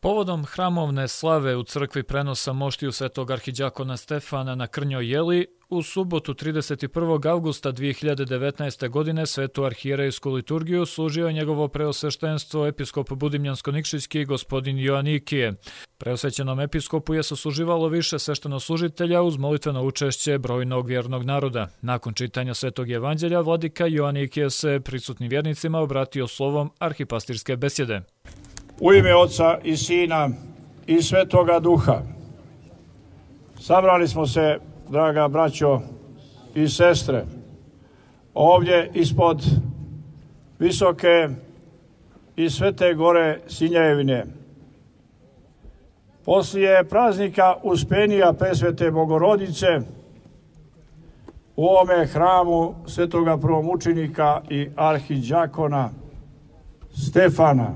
Povodom hramovne slave u crkvi prenosa moštiju svetog arhidjakona Stefana na Krnjoj Jeli, u subotu 31. avgusta 2019. godine svetu arhijerejsku liturgiju služio je njegovo preosveštenstvo episkop Budimljansko-Nikšićki gospodin Joanikije. Preosvećenom episkopu je sasluživalo više sveštenoslužitelja uz molitveno učešće brojnog vjernog naroda. Nakon čitanja svetog evanđelja, vladika Joanikije se prisutnim vjernicima obratio slovom arhipastirske besjede. U ime Oca i Sina i Svetoga Duha. Sabrali smo se, draga braćo i sestre, ovdje ispod visoke i svete gore Sinjevine. Poslije praznika Uspenija Presvete Bogorodice u ovome hramu svetoga prvomučenika i arhidjakona Stefana.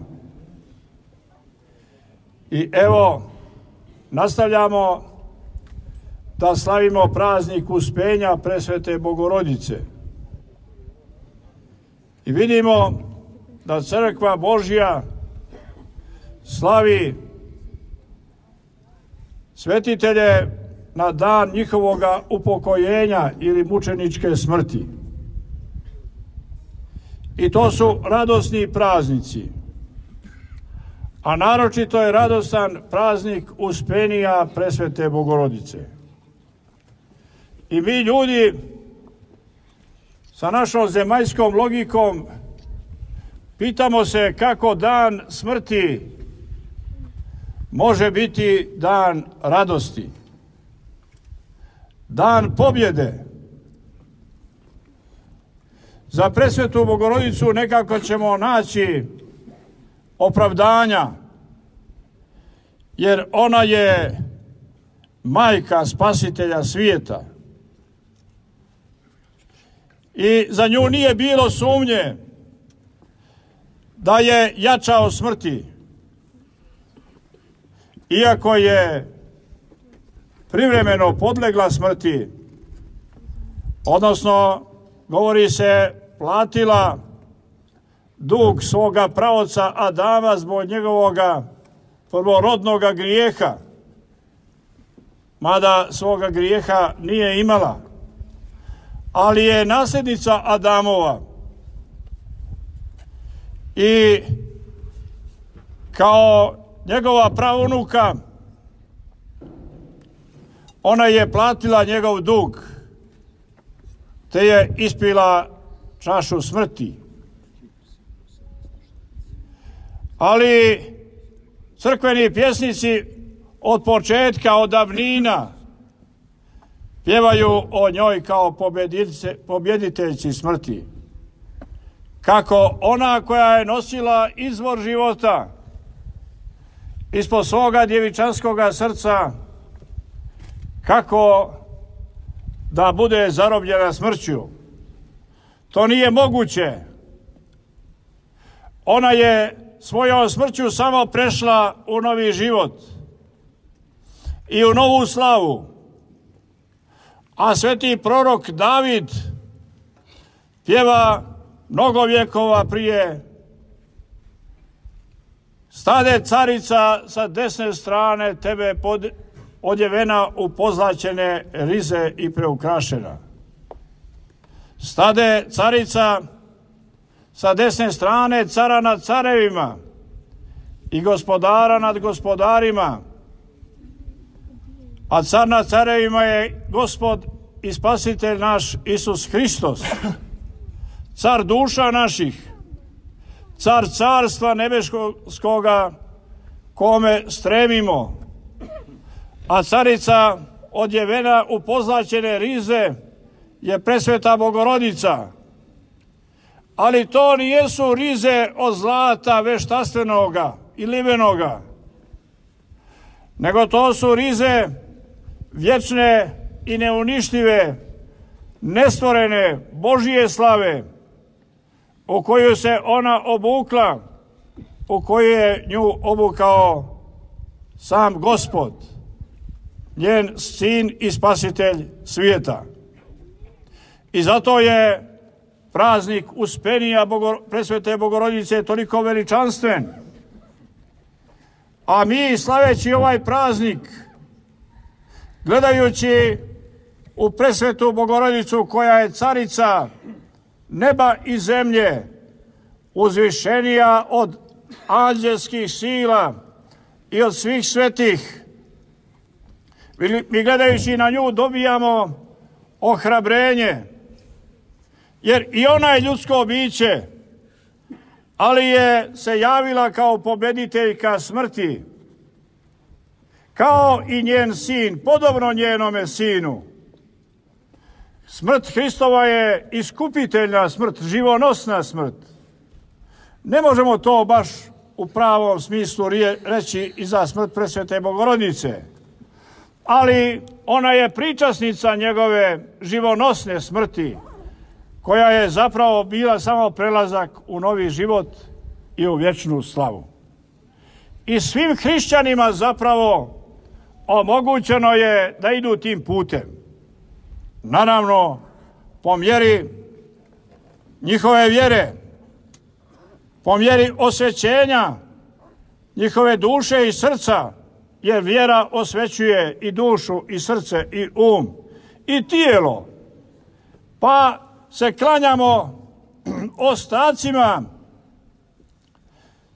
I evo, nastavljamo da slavimo praznik Uspenja Presvete Bogorodice. I vidimo da Crkva Božja slavi svetitelje na dan njihovoga upokojenja ili mučeničke smrti. I to su radosni praznici. A naročito je radostan praznik Uspenija Presvete Bogorodice. I mi ljudi sa našom zemaljskom logikom pitamo se kako dan smrti može biti dan radosti, dan pobjede. Za Presvetu Bogorodicu nekako ćemo naći opravdanja, jer ona je majka spasitelja svijeta. I za nju nije bilo sumnje da je jača od smrti. Iako je privremeno podlegla smrti, odnosno, govori se, platila dug svoga praoca Adama zbog njegovoga prvorodnoga grijeha, mada svoga grijeha nije imala, ali je nasljednica Adamova i kao njegova praunuka ona je platila njegov dug, te je ispila čašu smrti. Ali crkveni pjesnici od početka, od davnina, pjevaju o njoj kao pobjediteljci smrti. Kako ona koja je nosila izvor života ispod svoga djevičanskoga srca, kako da bude zarobljena smrću. To nije moguće. Ona je svojom smrću samo prešla u novi život i u novu slavu. A sveti prorok David pjeva mnogo vjekova prije: stade carica sa desne strane tebe odjevena u pozlaćene rize i preukrašena. Stade carica sa desne strane cara nad carevima i gospodara nad gospodarima. A car nad carevima je Gospod i Spasitelj naš Isus Hristos, car duša naših, car carstva nebeskoga kome stremimo. A carica odjevena u pozlaćene rize je Presveta Bogorodica. Ali to nijesu rize od zlata veštatstvenoga i livenoga, nego to su rize vječne i neuništive, nestvorene Božije slave, u koju se ona obukla, u koju je nju obukao sam Gospod, njen sin i spasitelj svijeta. I zato je praznik Uspenija Presvete Bogorodice toliko veličanstven. A mi, slaveći ovaj praznik, gledajući u presvetu Bogorodicu koja je carica neba i zemlje, uzvišenija od anđelskih sila i od svih svetih, mi gledajući na nju dobijamo ohrabrenje, jer i ona je ljudsko biće, ali je se javila kao pobediteljka smrti, kao i njen sin, podobno njenome sinu. Smrt Hristova je iskupiteljna smrt, živonosna smrt. Ne možemo to baš u pravom smislu reći i za smrt presvete Bogorodice, ali ona je pričasnica njegove živonosne smrti, koja je zapravo bila samo prelazak u novi život i u vječnu slavu. I svim hrišćanima zapravo omogućeno je da idu tim putem. Naravno, po mjeri njihove vjere, po mjeri osvećenja njihove duše i srca, jer vjera osvećuje i dušu i srce i i tijelo. Pa se klanjamo ostacima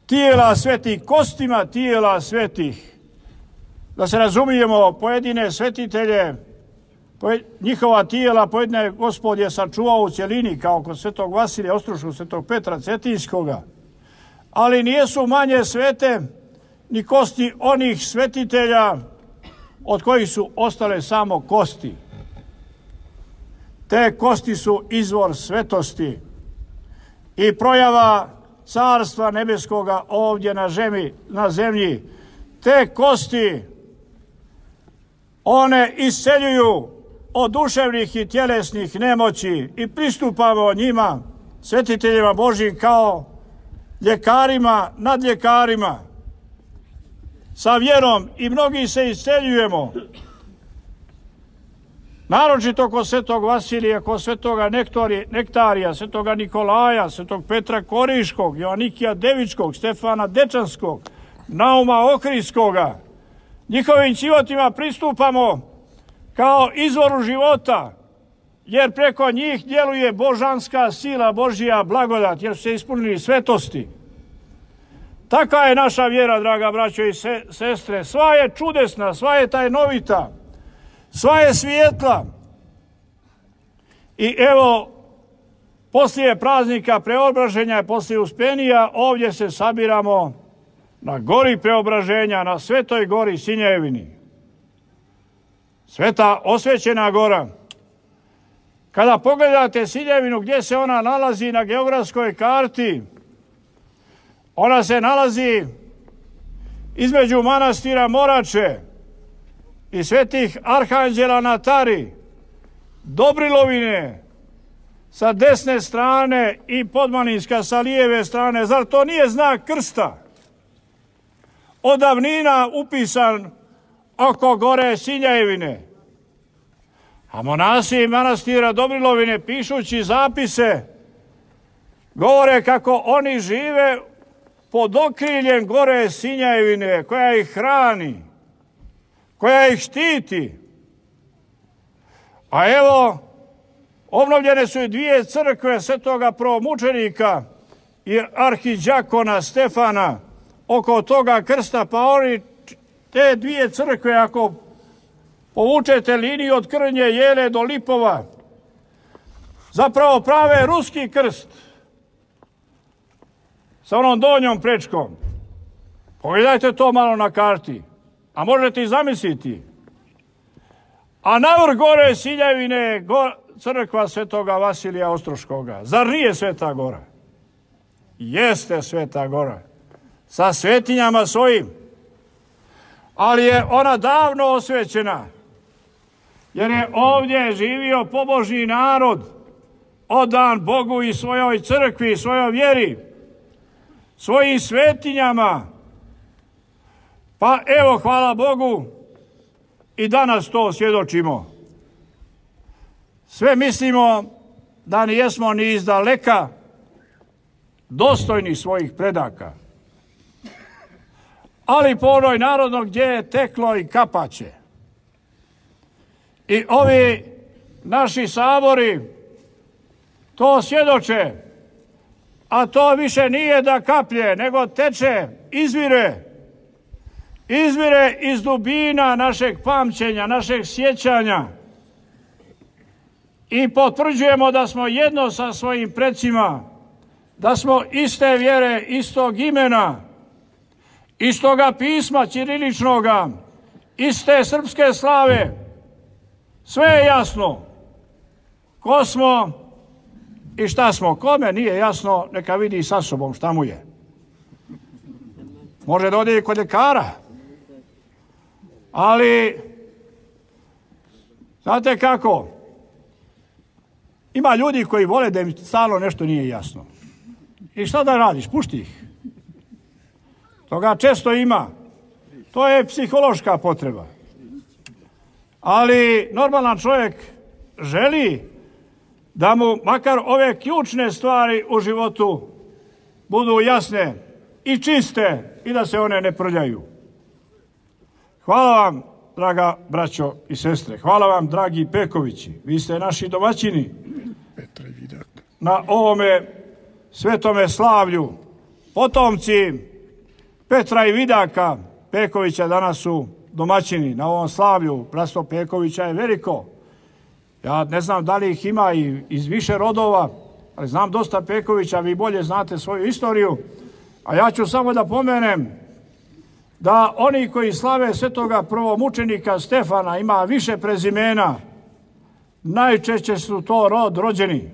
tijela svetih, kostima tijela svetih. Da se razumijemo, pojedine svetitelje, njihova tijela pojedine Gospod je sačuvao u cjelini, kao kod svetog Vasilija Ostroškog, svetog Petra Cetinskoga, ali nijesu manje svete ni kosti onih svetitelja od kojih su ostale samo kosti. Te kosti su izvor svetosti i projava Carstva nebeskoga ovdje na zemlji. Te kosti, one isceljuju od duševnih i tjelesnih nemoći i pristupamo njima, svetiteljima Božjim, kao ljekarima nad ljekarima, sa vjerom, i mnogi se isceljujemo. Naročito kod svetog Vasilija, kod svetoga Nektarija, svetoga Nikolaja, svetog Petra Koriškog, Joanikija Devičkog, Stefana Dečanskog, Nauma Ohridskoga. Njihovim životima pristupamo kao izvoru života, jer preko njih djeluje božanska sila, Božja blagodat, jer su se ispunili svetosti. Taka je naša vjera, draga braćo i sestre. Sva je čudesna, sva je tajnovita, sva je svijetla. I evo, poslije praznika Preobraženja i poslije Uspenija, ovdje se sabiramo na gori Preobraženja, na Svetoj gori Sinjevini. Sveta osvećena gora. Kada pogledate Sinjevinu, gdje se ona nalazi na geografskoj karti, ona se nalazi između manastira Morače i svetih arhanđela na Tari, Dobrilovine sa desne strane i Podmaninska sa lijeve strane. Zar to nije znak krsta? Od davnina upisan oko gore Sinjevine. A monasi manastira Dobrilovine, pišući zapise, govore kako oni žive pod okriljem gore Sinjevine, koja ih hrani, koja ih štiti. A evo, obnovljene su i dvije crkve svetoga prvomučenika i arhidjakona Stefana oko toga krsta, pa oni te dvije crkve, ako povučete liniju od Krnje Jele do Lipova, zapravo prave ruski krst sa onom donjom prečkom. Pogledajte to malo na karti, a možete i zamisliti. A navrh gore Sinjevine crkva svetoga Vasilija Ostroškoga. Zar nije Sveta gora? Jeste Sveta gora. Sa svetinjama svojim. Ali je ona davno osvećena. Jer je ovdje živio pobožni narod, odan Bogu i svojoj crkvi i svojoj vjeri, svojim svetinjama. Pa evo, hvala Bogu, i danas to svjedočimo. Sve mislimo da nijesmo ni izdaleka dostojni svojih predaka. ali po onoj narodno gdje je teklo i kapaće. I ovi naši sabori to svjedoče, a to više nije da kaplje, nego teče, izvire iz dubina našeg pamćenja, našeg sjećanja i potvrđujemo da smo jedno sa svojim precima, da smo iste vjere, istog imena, istoga pisma ćiriličnoga, iste srpske slave. Sve je jasno. Ko smo i šta smo? Kome nije jasno, neka vidi sa sobom šta mu je. Može da ode i kod ljekara. Ali, znate kako? Ima ljudi koji vole da im stalno nešto nije jasno. I šta da radiš? Pušti ih. Toga često ima. To je psihološka potreba. Ali normalan čovjek želi da mu makar ove ključne stvari u životu budu jasne i čiste i da se one ne prljaju. Hvala vam, draga braćo i sestre. Hvala vam, dragi Pekovići. Vi ste naši domaćini na ovome svetome slavlju. Potomci Petra i Vidaka Pekovića danas su domaćini na ovom slavlju. Bratstvo Pekovića je veliko. Ja ne znam da li ih ima i iz više rodova, ali znam dosta Pekovića, vi bolje znate svoju istoriju. A ja ću samo da pomenem da oni koji slave svetoga prvomučenika Stefana ima više prezimena, najčešće su to rođeni.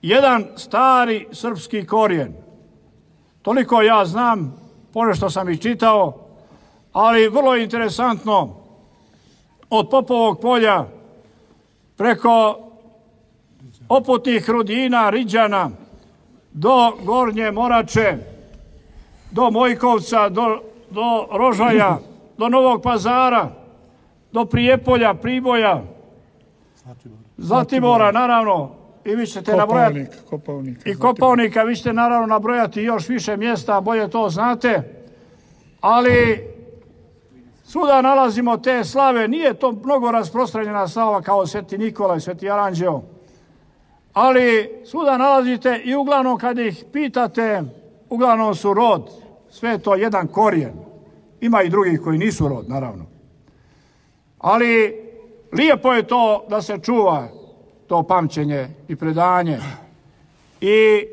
Jedan stari srpski korijen. Toliko ja znam, ponešto sam i čitao, ali vrlo interesantno, od Popovog polja preko Oputnih Rudina, Riđana, do Gornje Morače, do Mojkovca, do Rožaja, do Novog Pazara, do Prijepolja, Priboja, Zlatibora, naravno, i vi ćete nabrojati, i Kopaonika, vi ćete naravno nabrojati još više mjesta, bolje to znate, ali svuda nalazimo te slave, nije to mnogo rasprostranjena slava kao Sveti Nikola i Sveti Aranđeo, ali svuda nalazite i uglavnom kad ih pitate, uglavnom su rod, sve je to jedan korijen. Ima i drugih koji nisu rod, naravno. Ali lijepo je to da se čuva to pamćenje i predanje i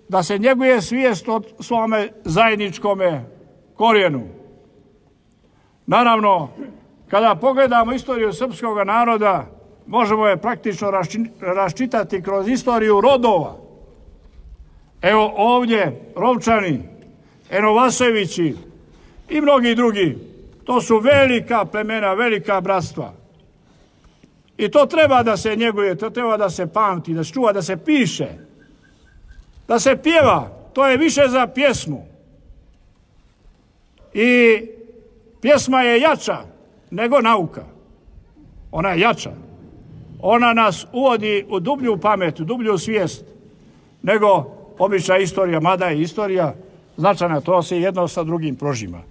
da se njeguje svijest o svome zajedničkome korijenu. Naravno, kada pogledamo istoriju srpskog naroda, možemo je praktično raščitati kroz istoriju rodova. Evo ovdje Rovčani, Enovasevići i mnogi drugi. To su velika plemena, velika bratstva. I to treba da se njeguje, to treba da se pamti, da se čuva, da se piše, da se pjeva. To je više za pjesmu. I pjesma je jača nego nauka. Ona je jača. Ona nas uvodi u dublju pamet, u dublju svijest nego obična istorija, mada je istorija značajna, to se jedno sa drugim prožima.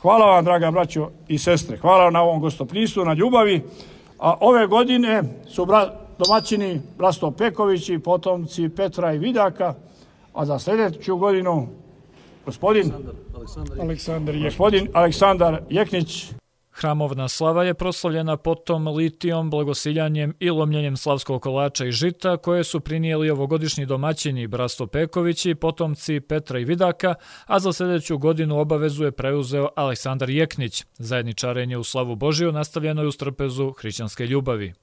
Hvala vam, draga braćo i sestre. Hvala vam na ovom gostoprimstvu, na ljubavi. A ove godine su domaćini bratstvo Pekovići, potomci Petra i Vidaka, a za sljedeću godinu gospodin Aleksandar Jeknić. Hramovna slava je proslavljena potom litijom, blagosiljanjem i lomljenjem slavskog kolača i žita koje su prinijeli ovogodišnji domaćini bratstvo Pekovići, potomci Petra i Vidaka, a za sljedeću godinu obavezu je preuzeo Aleksandar Jeknić. Zajedničarenje u slavu Božiju nastavljeno je uz trpezu hrišćanske ljubavi.